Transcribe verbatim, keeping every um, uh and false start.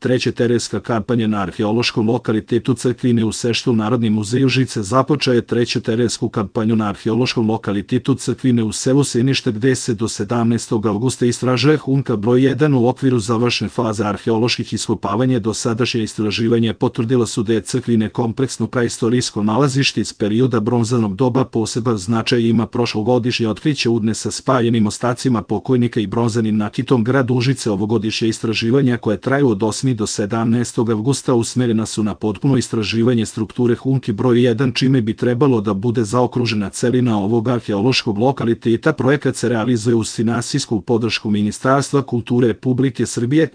Treća terenska kampanja na arheološkom lokalitetu Crkvine u Seštu. Narodni muzej Užice započeo je treću terensku kampanju na arheološkom lokalitetu Crkvine u selu Sinište, gde se do sedamnaestog avgusta istražuje Humka broj jedan. U okviru završne faze arheoloških iskopavanja dosadašnje istraživanje potvrdila su da je Crkvine kompleksno praistorijsko nalazište iz perioda bronzanog doba. Poseban značaj ima prošlogodišnje otkriće udne sa spaljenim ostacima pokojnika i bronzanim nakitom. Grad Užice ovogodišnje istraživanja koje traju od osmog do sedamnaestog avgusta usmerena su na potpuno istraživanje strukture Humke broj jedan, čime bi trebalo da bude zaokružena celina ovog arheološkog lokaliteta. Projekat se realizuje uz finansijsku podršku Ministarstva kulture Republike Srbije,